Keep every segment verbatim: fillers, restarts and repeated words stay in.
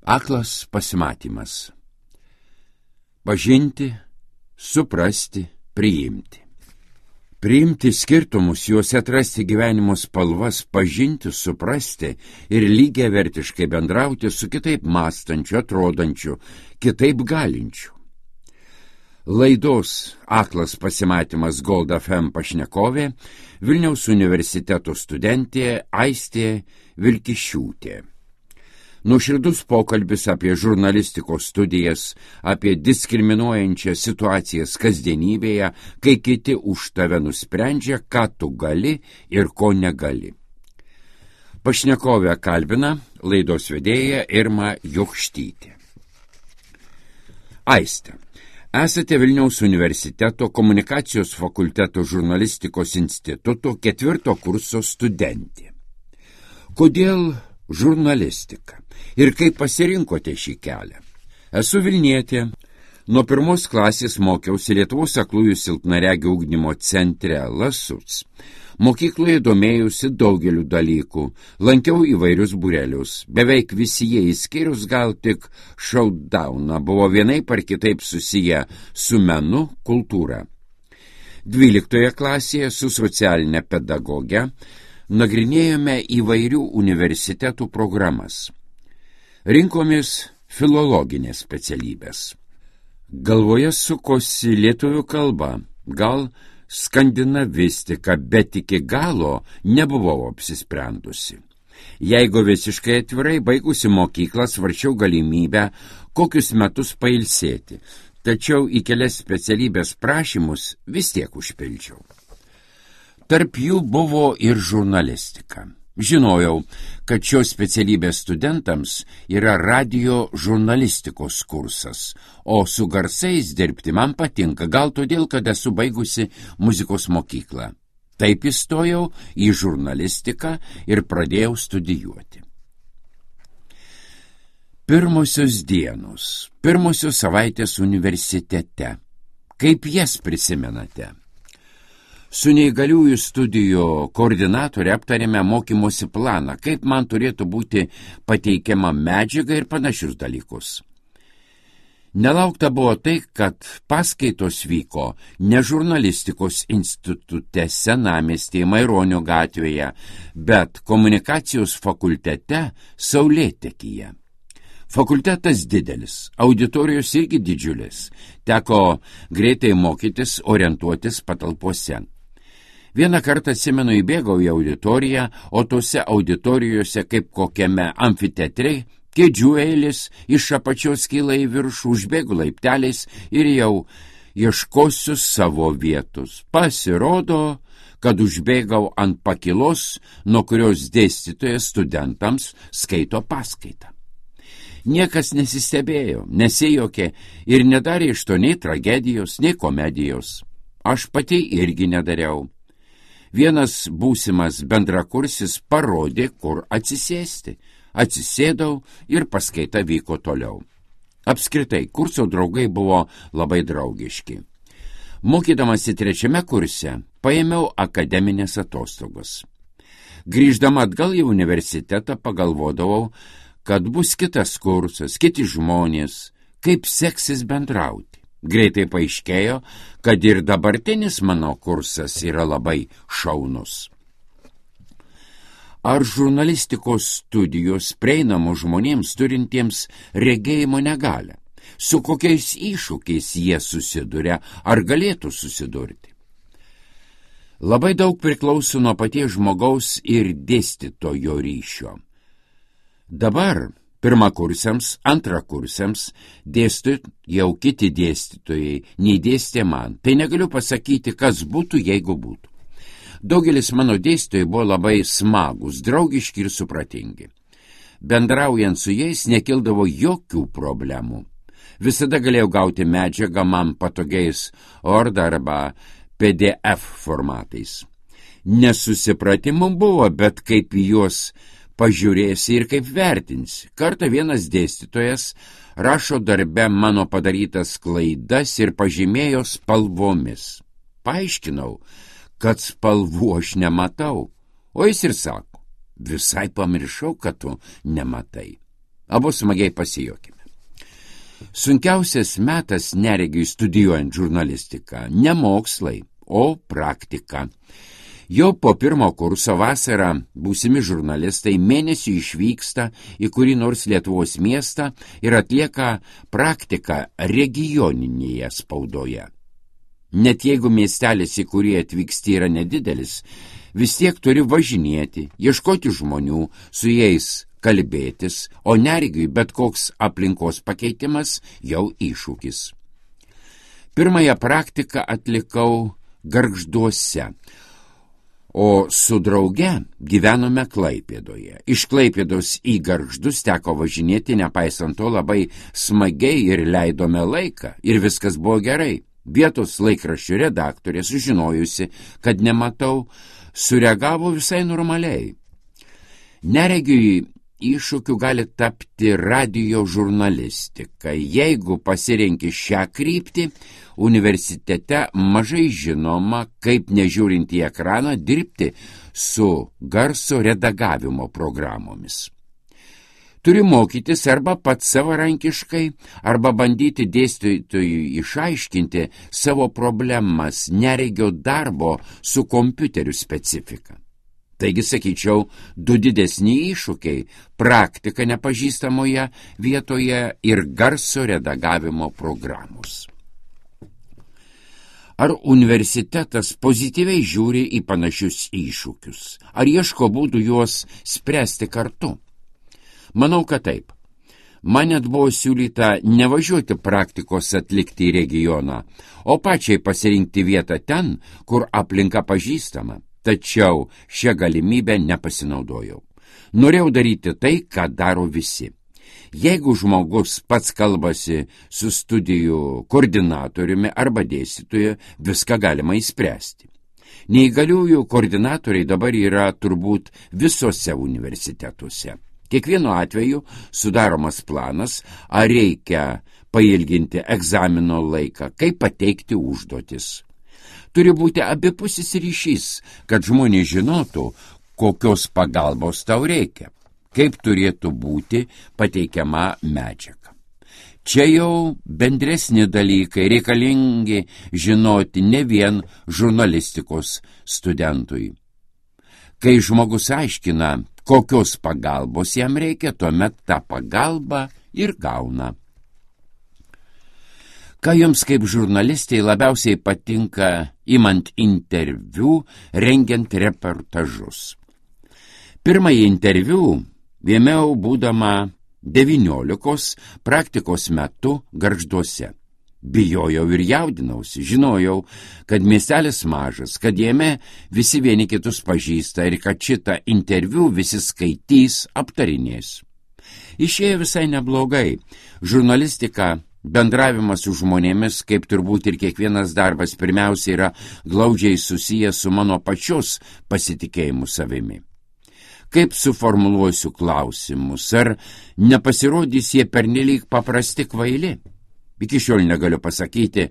Aklas pasimatymas. Pažinti, suprasti, priimti. Priimti skirtumus, juose atrasti gyvenimo spalvas, pažinti, suprasti ir lygiavertiškai bendrauti su kitaip mąstančiu, atrodančiu, kitaip galinčiu. Laidos Aklas pasimatymas Gold F M pašnekovė Vilniaus universiteto studentė Aistė Vilkišiūtė. Nuoširdus pokalbis apie žurnalistikos studijas, apie diskriminuojančias situacijas kasdienybėje, kai kiti už tave nusprendžia, ką tu gali ir ko negali. Pašnekovę kalbina laidos vedėja Irma Jokštytė. Aiste, esate Vilniaus universiteto komunikacijos fakulteto žurnalistikos instituto ketvirto kurso studentė. Kodėl žurnalistika ir kaip pasirinkote šį kelią? Esu Vilnietė. Nuo pirmos klasės mokiausi Lietuvos aklųjų silpnaregių ugdymo centre Lasuc. Mokykloje domėjausi daugeliu dalykų, lankiau įvairius būrelius. Beveik visi jie išskyrus gal tik Showdowną buvo vienaip ar kitaip susiję su menu, kultūra. Dvyliktoje klasėje su socialinė pedagogė nagrinėjome įvairių universitetų programas. Rinkomės filologinės specialybės. Galvoje sukosi lietuvių kalba, gal skandinavistika, bet iki galo nebuvau apsisprendusi. Jeigu visiškai atvirai, baigusi mokyklą svarčiau galimybę kokius metus pailsėti, tačiau į kelias specialybės prašymus vis tiek užpildžiau. Tarp jų buvo ir žurnalistika. Žinojau, kad šios specialybės studentams yra radijo žurnalistikos kursas, o su garsais dirbti man patinka, gal todėl, kad esu baigusi muzikos mokyklą. Taip įstojau į žurnalistiką ir pradėjau studijuoti. Pirmosios dienos, pirmosios savaitės universitete. Kaip jas prisimenate? Su neįgaliųjų studijų koordinatorė aptarėme mokymosi planą, kaip man turėtų būti pateikiama medžiaga ir panašius dalykus. Nelaukta buvo tai, kad paskaitos vyko ne žurnalistikos institute Senamiestyje Maironio gatvėje, bet komunikacijos fakultete Saulėtekyje. Fakultetas didelis, auditorijos irgi didžiulis, teko greitai mokytis, orientuotis patalpose. Vieną kartą, atsimenu, įbėgau į auditoriją, o tose auditorijose, kaip kokiame amfiteatre, kėdžių eilis iš apačios kyla į viršų, užbėgu laipteliais ir jau ieškosiu savo vietos. Pasirodo, kad užbėgau ant pakilos, nuo kurios dėstytojas studentams skaito paskaitą. Niekas nesistebėjo, nesijokė ir nedarė iš to nei tragedijos, nei komedijos. Aš pati irgi nedariau. Vienas būsimas bendrakursis parodė, kur atsisėsti. Atsisėdau ir paskaita vyko toliau. Apskritai, kurso draugai buvo labai draugiški. Mokydamasi trečiame kurse, paėmiau akademinės atostogos. Grįždama atgal į universitetą pagalvodavau, kad bus kitas kursas, kiti žmonės, kaip seksis bendrauti. Greitai paaiškėjo, kad ir dabartinis mano kursas yra labai šaunus. Ar žurnalistikos studijos prieinamos žmonėms turintiems regėjimo negalią? Su kokiais iššūkiais jie susiduria, ar galėtų susidurti? Labai daug priklauso nuo paties žmogaus ir dėstytojo ryšio. Dabar pirmakursiams, antrakursiams dėsto jau kiti dėstytojai, nei dėstė man. Tai negaliu pasakyti, kas būtų, jeigu būtų. Daugelis mano dėstytojai buvo labai smagus, draugiški ir supratingi. Bendraujant su jais nekildavo jokių problemų. Visada galėjau gauti medžiagą man patogiais Word arba P D F formatais. Nesusipratimų buvo, bet kaip į juos pažiūrėsi ir kaip vertinsi. Kartą vienas dėstytojas rašo darbe mano padarytas klaidas ir pažymėjo spalvomis. Paaiškinau, kad spalvų aš nematau, o jis ir sako, visai pamiršau, kad tu nematai. Abu smagiai pasijuokime. Sunkiausias metas neregiui studijuojant žurnalistiką – ne mokslai, o praktika. Jau po pirmo kurso vasarą būsimi žurnalistai mėnesį išvyksta į kurį nors Lietuvos miestą ir atlieka praktiką regioninėje spaudoje. Net jeigu miestelis, į kurį atvyksti, yra nedidelis, vis tiek turi važinėti, ieškoti žmonių, su jais kalbėtis, o neregiui bet koks aplinkos pakeitimas jau iššūkis. Pirmąją praktiką atlikau Gargžduose, o su drauge gyvenome Klaipėdoje. Iš Klaipėdos į Gargždus teko važinėti, nepaisant to labai smagiai ir leidome laiką, ir viskas buvo gerai. Vietos laikraščių redaktorė, sužinojusi, kad nematau, sureagavo visai normaliai. Neregiui iššūkiu gali tapti radijo žurnalistika. Jeigu pasirenki šią kryptį, universitete mažai žinoma, kaip nežiūrint į ekraną dirbti su garso redagavimo programomis. Turi mokytis arba pats savarankiškai, arba bandyti dėstytojui išaiškinti savo problemas neregio darbo su kompiuteriu specifika. Taigi, sakyčiau, du didesni iššūkiai – praktika nepažįstamoje vietoje ir garso redagavimo programos. Ar universitetas pozityviai žiūri į panašius iššūkius? Ar ieško būdų juos spręsti kartu? Manau, kad taip. Man net buvo siūlyta nevažiuoti praktikos atlikti į regioną, o pačiai pasirinkti vietą ten, kur aplinka pažįstama. Tačiau šią galimybę nepasinaudojau. Norėjau daryti tai, ką daro visi. Jeigu žmogus pats kalbasi su studijų koordinatoriumi arba dėstytoju, viską galima įspręsti. Neįgaliųjų koordinatoriai dabar yra turbūt visose universitetuose. Kiekvienu atveju sudaromas planas, ar reikia pailginti egzamino laiką, kaip pateikti užduotis. Turi būti abipusis ryšys, kad žmonės žinotų, kokios pagalbos tau reikia, kaip turėtų būti pateikiama medžiaga. Čia jau bendresni dalykai reikalingi žinoti ne vien žurnalistikos studentui. Kai žmogus aiškina, kokios pagalbos jam reikia, tuomet tą pagalbą ir gauna. Ką jums kaip žurnalistai labiausiai patinka imant interviu, rengiant reportažus? Pirmąjį interviu ėmiau būdama devyniolikos praktikos metu Gargžduose. Bijojau ir jaudinausi, žinojau, kad miestelis mažas, kad jame visi vieni kitus pažįsta ir kad šitą interviu visi skaitys, aptarinės. Išėjo visai neblogai. Žurnalistika, bendravimas su žmonėmis, kaip turbūt ir kiekvienas darbas, pirmiausia yra glaudžiai susijęs su mano pačios pasitikėjimu savimi. Kaip suformuluosiu klausimus, ar nepasirodys jie pernelyg paprasti kvaili? Iki šiol negaliu pasakyti,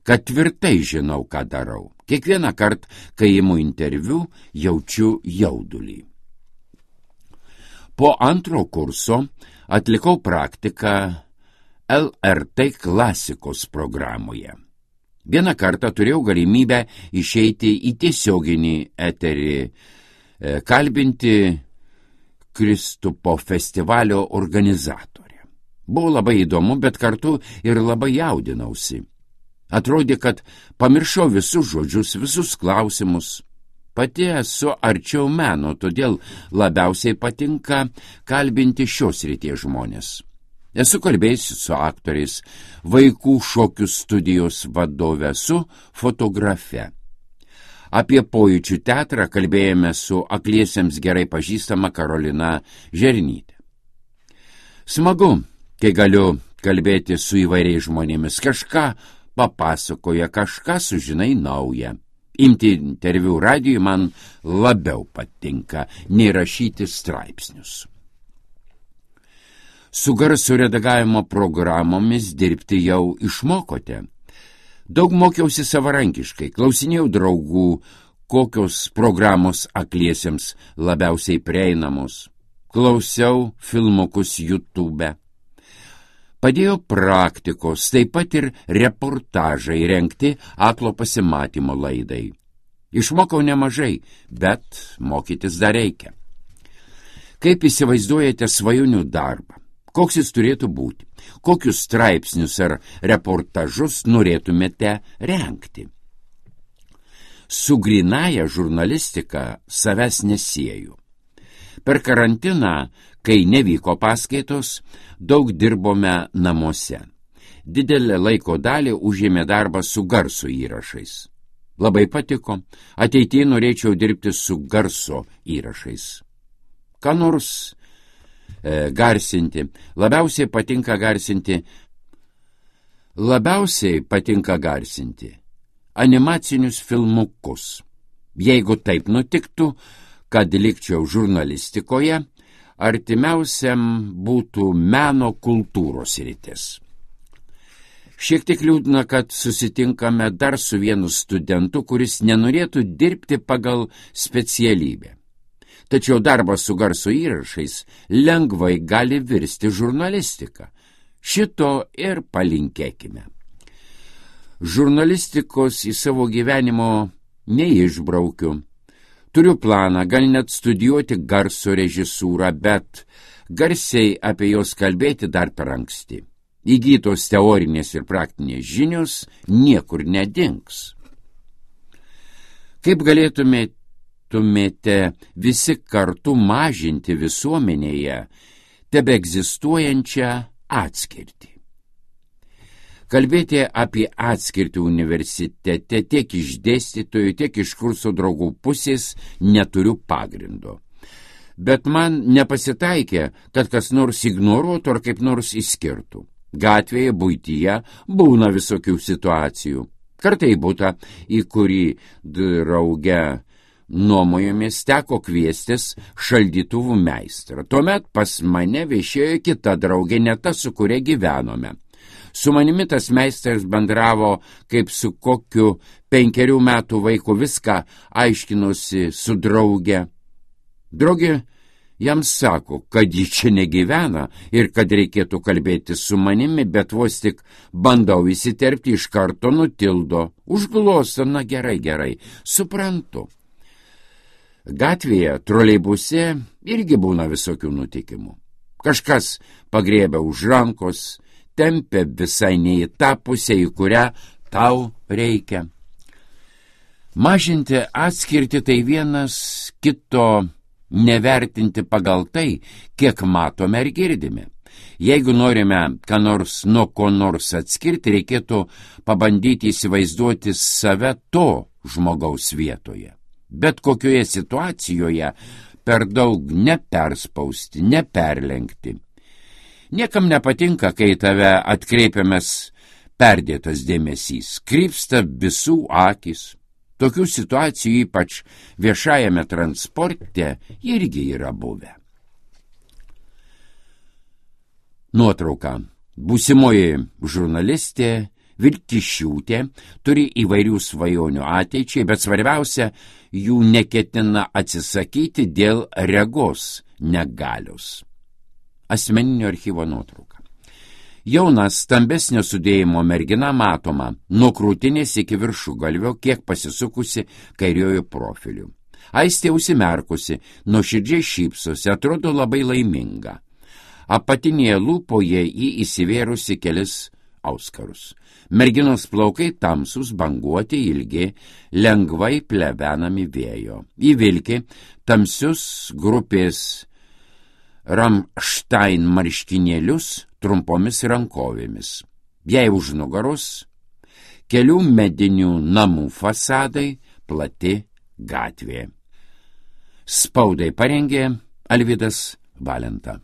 kad tvirtai žinau, ką darau. Kiekvieną kartą, kai imu interviu, jaučiu jaudulį. Po antro kurso atlikau praktiką L R T klasikos programoje. Vieną kartą turėjau galimybę išeiti į tiesioginį eterį, kalbinti Kristupo festivalio organizatorių. Buvo labai įdomu, bet kartu ir labai jaudinausi. Atrodė, kad pamiršau visus žodžius, visus klausimus. Pati esu arčiau meno, todėl labiausiai patinka kalbinti šios srities žmonės. Esu kalbėjusi su aktoriais, vaikų šokių studijos vadove, su fotografe. Apie pojūčių teatrą kalbėjome su akliesiems gerai pažįstama Karolina Žernytė. Smagu, kai galiu kalbėti su įvairiais žmonėmis, kažką papasakoja, kažką sužinai naują. Imti interviu radijui man labiau patinka, nei rašyti straipsnius. Su garso redagavimo programomis dirbti jau išmokote. Daug mokiausi savarankiškai, klausinėjau draugų, kokios programos akliesiems labiausiai prieinamos. klausiau filmukus YouTube. Padėjo praktikos, taip pat ir reportažai rengti aklo pasimatymo laidai. Išmokau nemažai, bet mokytis dar reikia. Kaip įsivaizduojate svajonių darbą? Koks jis turėtų būti? Kokius straipsnius ar reportažus norėtumėte rengti? Su grynaja žurnalistika savęs nesieju. Per karantiną, kai nevyko paskaitos, daug dirbome namuose. Didelę laiko dalį užėmė darbas su garso įrašais. Labai patiko, ateityje norėčiau dirbti su garso įrašais. Ką nors e, garsinti, labiausiai patinka garsinti, labiausiai patinka garsinti animacinius filmukus. Jeigu taip nutiktų, kad likčiau žurnalistikoje, artimiausiam būtų meno kultūros sritis. Šiek tiek liūdna, kad susitinkame dar su vienu studentu, kuris nenorėtų dirbti pagal specialybę. Tačiau darbas su garso įrašais lengvai gali virsti žurnalistika. Šito ir palinkėkime. Žurnalistikos į savo gyvenimo neišbraukiu. Turiu planą, gal net studijuoti garso režisūrą, bet garsiai apie jos kalbėti dar per anksti. Įgytos teorinės ir praktinės žinios niekur nedings. Kaip galėtumėte visi kartu mažinti visuomenėje tebeegzistuojančią atskirtį? Kalbėti apie atskirtį universitete tiek iš dėstytojų, tiek iš kurso draugų pusės neturiu pagrindo. Bet man nepasitaikė, kad kas nors ignoruotų ar kaip nors išskirtų. Gatvėje, buityje būna visokių situacijų. Kartai butą, į kurį drauge nuomojomės, teko kviestis šaldytuvų meistrą. Tuomet pas mane viešėjo kita draugė, ne ta, su kuria gyvenome. Su manimi tas meistras bendravo kaip su kokiu penkerių metų vaiku, viską aiškinosi su drauge. Draugė jam sako, kad ji čia negyvena ir kad reikėtų kalbėti su manimi, bet vos tik bandau įsiterpti, iš karto nutildo. Užglosto, na gerai, gerai, suprantu. Gatvėje, troleibuse irgi būna visokių nutikimų. Kažkas pagriebia už rankos, tempia visai ne į tą pusę, į kurią tau reikia. Mažinti atskirti tai vienas kito nevertinti pagal tai, kiek matome ir girdime. Jeigu norime ką nors nuo ko nors atskirti, reikėtų pabandyti įsivaizduoti save to žmogaus vietoje. Bet kokioje situacijoje per daug neperspausti, neperlenkti. Niekam nepatinka, kai tave atkreipiamas perdėtas dėmesys, krypsta visų akis. Tokių situacijų ypač viešajame transporte irgi yra buvę. Nuotrauka. Būsimoji žurnalistė Vilkišiūtė turi įvairių svajonių ateičiai, bet svarbiausia, jų neketina atsisakyti dėl regos negalios. Asmeninio archyvo nuotrauka. Jauna, stambesnio sudėjimo mergina matoma nuo krūtinės iki viršugalvio, kiek pasisukusi kairiojo profiliu. Aistė užsimerkusi, nuoširdžiai šypsosi, atrodo labai laiminga. Apatinėje lūpoje jį įsivėrusi kelis auskarus. Merginos plaukai tamsus, banguoti, ilgi, lengvai plevenami vėjo. Įvilki tamsius grupės Ramštain marškinėlius trumpomis rankovėmis. Jai už nugaros kelių medinių namų fasadai, plati gatvė. Spaudai parengė Alvydas Valenta.